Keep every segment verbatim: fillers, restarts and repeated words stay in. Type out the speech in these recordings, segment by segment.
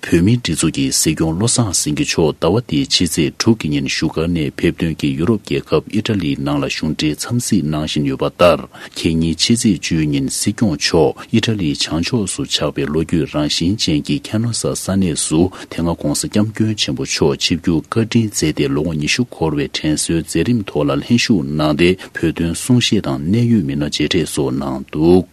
བོད་མིའི་སྒྲིག་འཛུགས་ཀྱི་སྲིད་སྐྱོང་བློ་བཟང་སེང་གེ་མཆོག་ཟླ་བ་འདིའི་ཕྱི་ཚེས་དྲུག་གི་ཉིན་བཞུགས་སྒར་ནས་ཕེབས་ཐོན་གྱིས་ཡུ་རོབ་རྒྱལ་ཁབ་ཨི་ཊ་ལིའི་ནང་ལ་གཞུང་འབྲེལ་འཚམས་གཟིགས་གནང་བཞིན་ཡོད་པ་ལྟར། ཁེ་ཉིན་ཕྱི་ཚེས་བཅུའི་ཉིན་སྲིད་སྐྱོང་མཆོག་ཨི་ཊ་ལིའི་བྱང་ཕྱོགས་སུ་ཆགས་པའི་ལོ་རྒྱུས་རང་བཞིན་ཅན་གྱི་ཁ་ནོ་ས་ས་གནས་སུ། དེ་སྔ་༧གོང་ས་༧སྐྱབས་མགོན་ཆེན་པོ་མཆོག་ཆིབས་བསྒྱུར་བཀའ་དྲིན་མཛད་དེ་ལོ་ངོ་ཉི་ཤུ་འཁོར་བའི་དྲན་གསོའི་མཛད་རིམ་ཐོག་ལ་ལྷན་ཞུགས་གནང་སྟེ། བོད་དོན་གསུང་བཤད་དང་གནད་ཡོད་མི་སྣ་མཇལ་འཕྲད་སོགས་གནང་འདུག་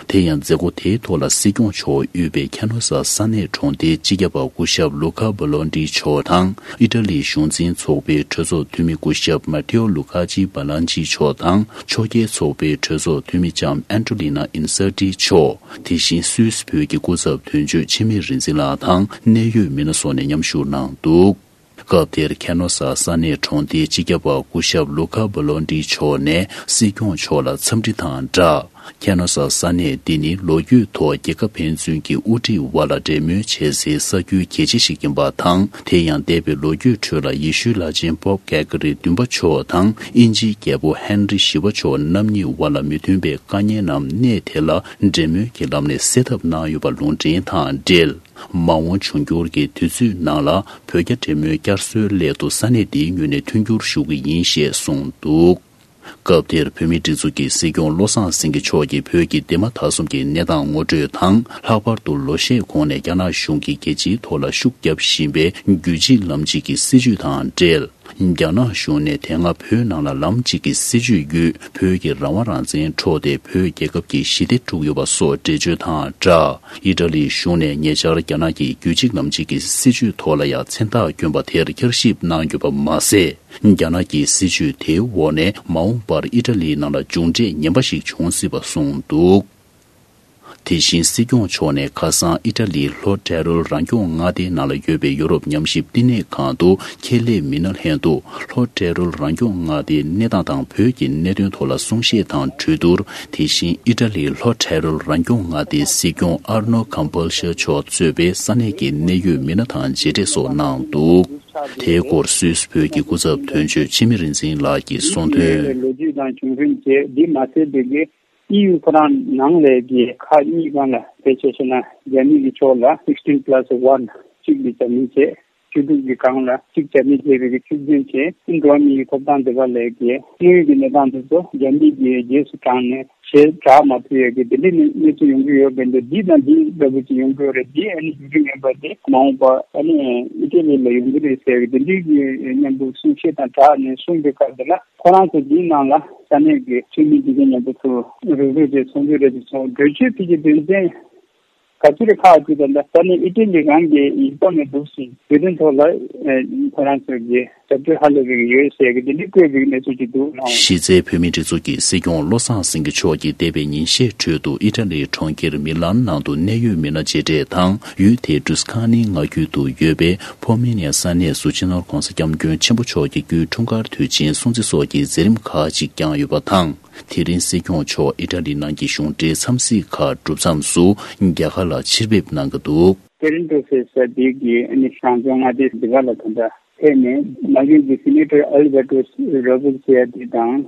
དེ་ཡང་མཛད་སྒོ་དེའི་ཐོག་ལ་སྲིད་སྐྱོང་མཆོག་དབུས་པའི་ཁ་ནོ་ས་ས་གནས་གྲོང་སྡེའི་སྤྱི་ཁྱབ་པ་སྐུ་ཞབས་ལུ་ཁ་བྷ་ལོན་ཏི་མཆོག་དང་། ཨི་ཊ་ལིའི་གཞུང་འཛིན་ཚོགས་པའི་གྲོས་ཚོགས་འཐུས་མི་སྐུ་ཞབས་མ་ཐེའོ་ལུ་ཁ་ཅི་བྷ་ལན་ཅི་མཆོག་དང་། ཕྱོགས་འགལ་ཚོགས་པའི་གྲོས་ཚོགས་འཐུས་མི་ལྕམ་ཨན་ཏྲོ་ལི་ན་ཨིན་སར་ཏི་མཆོག་དེ་བཞིན་སུད་སི་བོད་ཀྱི་སྐུ་ཚབ་དོན་གཅོད་འཆི་མེད་རིག་འཛིན་ལགས་དང་གནད་ཡོད་མི་སྣ་སོགས་ནས་མཉམ་ཞུགས་གནང་འདུག་སྐབས་དེར་ཁ་ནོ་ས་ས་གནས་གྲོང་སྡེའི་སྤྱི་ཁྱབ་པ་སྐུ་ཞབས་ལུ་ཁ་བྷ་ལོན་ཏི་མཆོག་ནས་སྲིད་སྐྱོང་མཆོག་ལ་འཚམས་འདྲི་དང་སྦྲགས། ཁ་ནོ་ས་ས་གནས་འདི་ནི་ལོ་རྒྱུས་ཐོག་རྒྱལ་ཁབ་ཕན་ཚུན་གྱི་དབུ་ཁྲིད་དབར་ལ་འབྲེལ་མོལ་བྱེད་སའི་ས་ཁུལ་གལ་ཆེ་ཞིག་ཡིན་པ་དང་། དེ་ཡང་འདས་པའི་ལོ་རྒྱུས་ཁྲོད་ལ་ཡེ་ཤུའི་བླ་ཆེན་པོབ་གྷེ་གྷ་རི་བདུན་པ་མཆོག་དང་དབྱིན་ཇིའི་རྒྱལ་པོ་ཧན་རི་བཞི་པ་མཆོག་རྣམ་གཉིས་དབར་ལ་མི་མཐུན་པའི་དཀའ་ངལ་རྣམས་གནས་དེ་ལ་འབྲེལ་མོལ་གྱི་ལམ་ནས་སེལ་ཐབས་གནང་ཡོད་པ་ལུང་འདྲེན་དང་འབྲེལ། མ་འོངས་འབྱུང་འགྱུར་གྱི་དུས་ཚོད་ནང་ལ་བོད་རྒྱ་འབྲེལ་མོལ་བསྐྱར་གསོའི་སླད་དུ་ས་གནས་འདིའི་ངོས་ནས་མཐུན་འགྱུར་ཞུ་གི་ཡིན་ཞེས་གསུངས་འདུག་སྐབས་དེར་བོད་མིའི་སྒྲིག་འཛུགས་ཀྱི་སྲིད་སྐྱོང་བློ་བཟང་སེང་གེ་མཆོག་གིས་བོད་ཀྱི་འདས་མ་ད་གསུམ་གྱི་གནས་སྟངས་ངོ་སྤྲོད་དང་། ལྷག་པར་དུ་ལོ་ཤས་གོང་ནས་རྒྱ་ནག་གཞུང་གིས་རྒྱལ་སྤྱིའི་ཐོག་ལ་ཤུགས་བརྒྱབ་བཞིན་པའི་རྒྱུད་གཅིག་ལམ་གཅིག་གི་སྲིད་བྱུས་དང་འབྲེལ། རྒྱ་ནག་གཞུང་ནས་དེ་སྔ་བོད་ནང་ལ་ལམ་གཅིག་གི་སྲིད་བྱུས་བརྒྱུད་བོད་ཀྱི་རང་དབང་རང་བཙན་འཕྲོག་སྟེ། བོད་རྒྱལ་ཁབ་ཀྱི་ཞི་བདེ་དཀྲུགས་ཡོད་པ་སོགས་འགྲེལ་བརྗོད་དང་སྦྲགས། ཨི་ཊ་ལིའི་གཞུང་ནས་ཉེ་ཆར་རྒྱ་ནག་གི་རྒྱུད་གཅིག་ལམ་གཅིག་གི་སྲིད་བྱུས་ཐོག་ལ་ཡང་མཚན་རྟགས་བསྐྱོན་པ་དེར་བསྐྱར་ཞིབ་གནང་ཡོད་པ་མ་ཟད། རྒྱ་ནག་གི་སྲིད་བྱུས་དེའི་འོག་ནས་མ་འོངས་པར་ཨི་ཊ་ལིའི་ནང་ལ་མཇུག་འབྲས་ངན་པ་ཞིག་འབྱུང་སྲིད་པ་གསུངས་འདུག་དེ་བཞིན་སྲིད་སྐྱོང་མཆོག་ནས་ཁ་སང་ཨི་ཊ་ལིའི་ལྷོ་ཊེ་རོལ་རང་སྐྱོང་མངའ་སྡེའི་ནང་ལ་ཡོད་པའི་ཡོ་རོབ་ཉམས་ཞིབ་བསྟི་གནས་ཁང་དུ་ཁྱད་ལས་མི་སྣ་ལྷན་དུ་ལྷོ་ཊེ་རོལ་རང་སྐྱོང་མངའ་སྡེའི་གནས་སྟངས་དང་བོད་ཀྱི་གནད་དོན་ཐོག་ལ་གསུང་བཤད་དང་གྲོས་བསྡུར། དེ་བཞིན་ཨི་ཊ་ལིའི་ལྷོ་ཊེ་རོལ་རང་སྐྱོང་མངའ་སྡེའི་སྲིད་སྐྱོང་ཨར་ནོ་ཀམ་པལ་ཤ་མཆོག་གཙོས་པའི་ས་གནས་ཀྱི་གནད་ཡོད་མི་སྣ་དང་མཇལ་འཕྲད་སོགས་གནང་འདུག་དེའི་སྐོར་སུད་སི་བོད་ཀྱི་སྐུ་ཚབ་དོན་གཅོད་འཆི་མེད་རིག་འཛིན་ལགས་ཀྱིས་གསུངས་དོན། ལོ་རྒྱུས་དང་བྱུང་རིམ་བཅས་འདི་མ་ཟད་པའི་གི་ཨི་ཡུ་ཁོ་རང་ནང་ལས་ཀྱི་ཁག་གཉིས་སྒང་ལ་ཕལ་ཆེར་བཤད་ན་རྒྱ་མི་གི་ཕྱོགས་ལ་sixteen plus one གཅིག་ལ་རྒྱ་མི་བྱས། བཅུ་དྲུག་གི་སྒང་ལ་གཅིག་རྒྱ་མི་བྱས་པའི་གི་བཅུ་བདུན་བྱས། འགྲོ་བ་མིའི་ཐོབ་ཐང་དེ་ག་ལས་ཀྱི་དངོས་ཡོད་ཀྱི་གནས་སྟངས་དེ་ཚོ་རྒྱ་མི་གི་རྗེས་སུ་འབྲངས་ནས་ཞེ་དྲག་མ་ཐུབ་ཡོད་ཀྱི་དེ་འདྲའི་གནས་ཚུལ་ཡོང་གི་ཡོད་པས། འདི་དང་འདི་འདྲ་པོ་ཅིག་ཡོང་གི་ཡོད་རེད། འདི་ཨ་ནི་བརྒྱུད་རིམ་ངན་པ་དེ་མ་འོངས་པ་ཨ་ནི་ཨི་ཊ་ལི་ལ་ཡོང་གི་རེད་ཟེར་གི་དེ་འདྲའི་གི་མཉམ་པོ་གསུང་བཤད་དང་སྦྲགས་ནས་གསུངས་པའི་སྐབས་དེ་ལ། ཁོ་རང་ཚོ་འདིའི་ནང་ལ་ས་གནས་ཀྱི་འཐུས་མི་འདི་གའི་མཉམ་དུ་ཚུར་རུབ་རུབ་བྱས་ཚོགས་འདུ་རེ་ཞིག་ཚོགས། གྲོས་ཆོད་ཕུལ་རྒྱུ་དོན་ཚན་ག་ཚོད་རེ་ཁག་ཅིག་དང་འདྲ། ས་གནས་ཨི་ཊ་ལི་རང་གི་ཡིག་ཐོག་ནས་འདུག་ཟིན། བོད་དོན་ཐོག་ལ་ཁོ་རང་ཚོ་གི་རྒྱབ་སྐྱོར་ཧ་ལས་པའི་ཡོད་ཟེར་གི་འདི་འདྲ་བཀོད་པའི་གནས་ཚུལ་ཅིག་འདུག་ལགས། གཞི་རྩའི་བོད་མིའི་སྒྲིག་འཛུགས་ཀྱི་སྲིད་སྐྱོང་བློ་བཟང་སེང་གེ་མཆོག་གིས་འདས་པའི་ཉིན་ཤས་ཁྲོད་དུ་ཨི་ཊ་ལིའི་གྲོང་ཁྱེར་མི་ལན་ནང་དུ་གནད་ཡོད་མི་སྣ་མཇལ་འཕྲད་དང་། ཡུལ་དེའི་ཀྲུས་ཁ་ནི་མངའ་ཁུལ་དུ་ཡོད་པའི་ཕོ་མི་ནི་ཡ་ས་གནས་སུ་སྤྱི་ནོར་༧གོང་ས་༧སྐྱབས་མགོན་ཆེན་པོ་མཆོག་གི་སྐུའི་འཁྲུངས་སྐར་དུས་ཆེན་སྲུང་བརྩི་སོགས་ཀྱི་མཛད་རིམ་ཁག་ཅིག་བསྐྱངས་ཡོད་པ་དང་། དེ་རིང་སྲིད་སྐྱོང་མཆོག་ཨི་ཊ་ལི་ནང་གི་གཞུང་འབྲེལ་འཚམས་གཟིགས་ཁག་གྲུབ་མཚམས་སུ་རྒྱ་གར་ལ་ཕྱིར་ཕེབས་གནང་གི་འདུག་ཏེ་རིན་ཏོ་ཟེར་ས་དེ་གི་ཨ་ནི་རང་སྐྱོང་མངའ་སྡེ་འདི་ག་ལ་ད་ལྟ་ཕེབས་ནས་མ་གཞི་གི་སི་ནེ་ཊར་ཨལ་བྷར་ཏོ་རོ་བྷར་ཟེར་ཡ་དེ་དང་།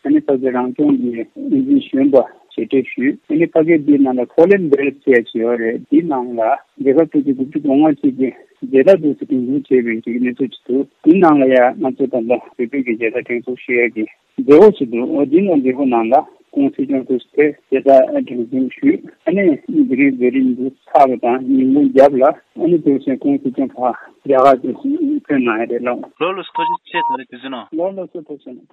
ཨ་ནི་ཕ་གི་རང་སྐྱོང་གི་འགན་འཛིན་གཞོན་པ་མཇལ་འཕྲད་ཞུས། ཨ་ནི་ཕ་གི་འདིའི་ནང་ལ་ཁོ་ལིན་བེལ་ཟེར་ཡ་ཅིག་ཡོད་རེད། འདིའི་ནང་ལ་རྒྱལ་ཁབ་ཆེ་ཆུང་དགུ་བཅུ་གོ་ལྔ་ཅིག་གི་མཇལ་དར་འདུག་སེ་འགྲེམས་འབུལ་བྱས་པའི་ཅིག་གནས་ཚུལ་ཅིག་འདུག་དེའི་ནང་ལ་ཡང་ང་ཚོ་ད་ལྟ་བོད་པའི་གི་མཇལ་དར་སྒྲེང་འཛུགས་ཞུ་ཡ་གི་མཛད་སྒོ་ཞིག་འདུག་འོ་འདི་ནང་མཛད་སྒོ་ནང་ལ་ཁོང་སྲིད་སྐྱོང་དུ་དེ་མཇལ་དར་སྒྲེང་འཛུགས་ཞུས། ཨ་ནི་འདི་རིང་མཛད་རིམ་འདི་ཚར་བ་དང་ཉིན་གུང་རྒྱབ་ལ་ཨ་ནི་དུས་ཆེན་ཁོང་སྲིད་སྐྱོང་ཕར་རྒྱ་གར་དུ་ཕེབས་གནང་ཡ་རེད་ལགས། ལགས་ལགས་སོ། ཐུགས་རྗེ་ཆེ། ད་རེས་དུས་ཚོད་གནང་། ལགས་ལགས་སོ། ཐུགས་རྗེ་ཆེ།